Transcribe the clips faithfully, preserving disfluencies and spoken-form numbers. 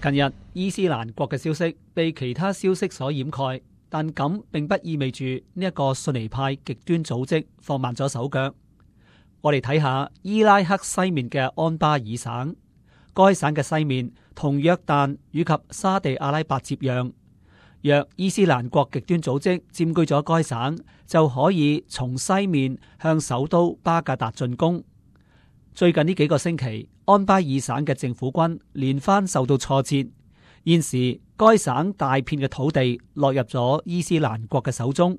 近日伊斯蘭國嘅消息被其他消息所掩蓋，但咁並不意味住呢一個遜尼派極端組織放慢咗手腳。我哋睇下伊拉克西面嘅安巴爾省，該省嘅西面同約旦以及沙地阿拉伯接壤。若伊斯蘭國極端組織佔據咗該省，就可以從西面向首都巴格達進攻。最近呢幾個星期，安巴爾省嘅政府軍連番受到挫折，現時該省大片嘅土地落入咗伊斯蘭國嘅手中，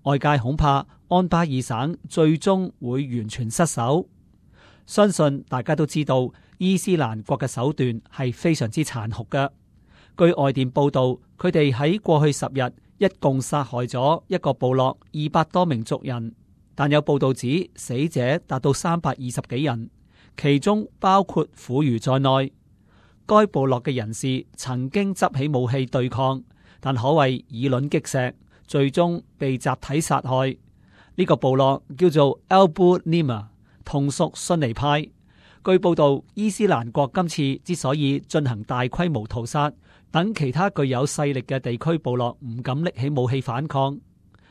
外界恐怕安巴爾省最終會完全失守。相信大家都知道，伊斯蘭國嘅手段係非常之殘酷嘅。據外電報道，佢哋喺過去十日一共殺害咗一個部落二百多名族人。但有報道指死者達到三百二十幾人，其中包括婦孺在內。該部落嘅人士曾經執起武器對抗，但可謂以卵擊石，最終被集體殺害。呢、這個部落叫做 Abu Nima， 同屬遜尼派。據報道，伊斯蘭國今次之所以進行大規模屠殺，等其他具有勢力嘅地區部落唔敢拎起武器反抗。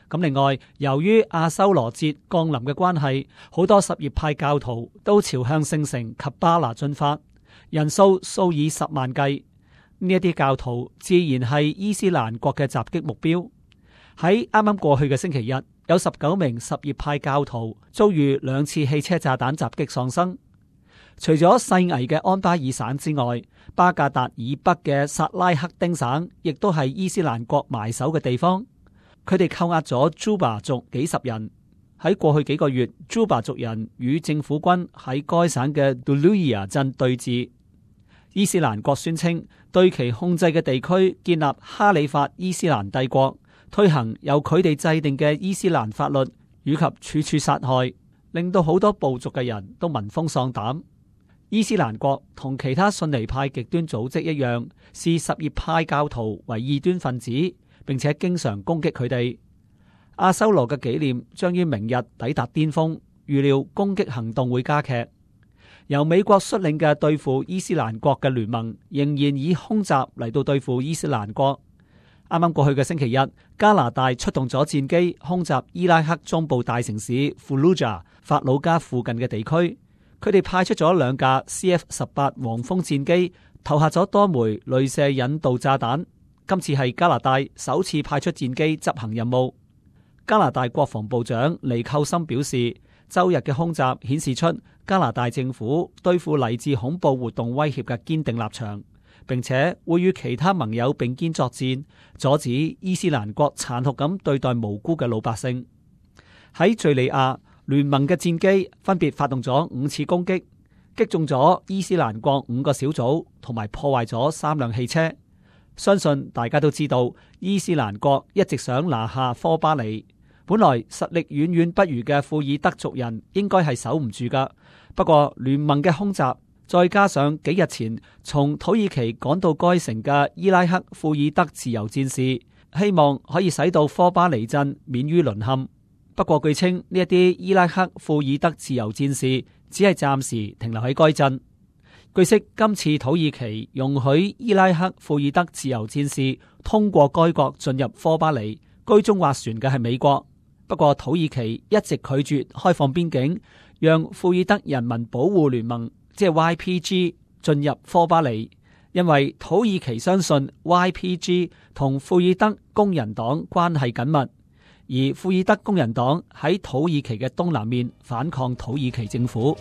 咁另外，由於阿修羅節降臨嘅關係，好多什葉派教徒都朝向聖城及巴拿進發，人數數以十萬計。呢一啲教徒自然係伊斯蘭國嘅襲擊目標。喺啱啱過去嘅星期日，有十九名什葉派教徒遭遇兩次汽車炸彈襲擊喪生。除咗細危嘅安巴爾省之外，巴格達以北嘅薩拉克丁省亦都係伊斯蘭國埋手嘅地方。佢哋扣押咗朱巴族幾十人。喺過去幾個月，朱巴族人與政府軍喺該省嘅杜魯伊亞鎮對峙。伊斯蘭國宣稱對其控制嘅地區建立哈里發伊斯蘭帝國，推行由佢哋制定嘅伊斯蘭法律，以及處處殺害，令到好多部族嘅人都聞風喪膽。伊斯蘭國同其他遜尼派極端組織一樣，視什葉派教徒為異端分子，並且經常攻擊佢哋。阿修羅嘅紀念將於明日抵達巔峰，預料攻擊行動會加劇。由美國率領嘅對付伊斯蘭國嘅聯盟仍然以空襲嚟到對付伊斯蘭國。啱啱過去嘅星期日，加拿大出動咗戰機空襲伊拉克中部大城市庫魯賈法魯加附近嘅地區。佢哋派出咗兩架 C F 十八黃蜂戰機，投下咗多枚鐳射引導炸彈。今次係加拿大首次派出戰機執行任務。加拿大國防部長尼寇森表示，周日嘅空襲顯示出加拿大政府對付嚟自恐怖活動威脅嘅堅定立場，並且會與其他盟友並肩作戰，阻止伊斯蘭國殘酷咁對待無辜嘅老百姓。喺敘利亞，聯盟嘅戰機分別發動咗五次攻擊，擊中咗伊斯蘭國五個小組，同埋破壞咗三輛汽車。相信大家都知道，伊斯蘭國一直想拿下科巴尼。本來實力遠遠不如嘅庫爾德族人應該係守唔住噶。不過聯盟嘅空襲，再加上幾日前從土耳其趕到該城嘅伊拉克庫爾德自由戰士，希望可以使到科巴尼鎮免於淪陷。不過據稱呢一啲伊拉克庫爾德自由戰士只係暫時停留喺該鎮。據悉，今次土耳其容許伊拉克庫爾德自由戰士通過該國進入科巴尼，居中斡旋嘅係美國。不過土耳其一直拒絕開放邊境，讓庫爾德人民保護聯盟即係 Y P G 進入科巴尼，因為土耳其相信 Y P G 同庫爾德工人黨關係緊密，而庫爾德工人黨喺土耳其嘅東南面反抗土耳其政府。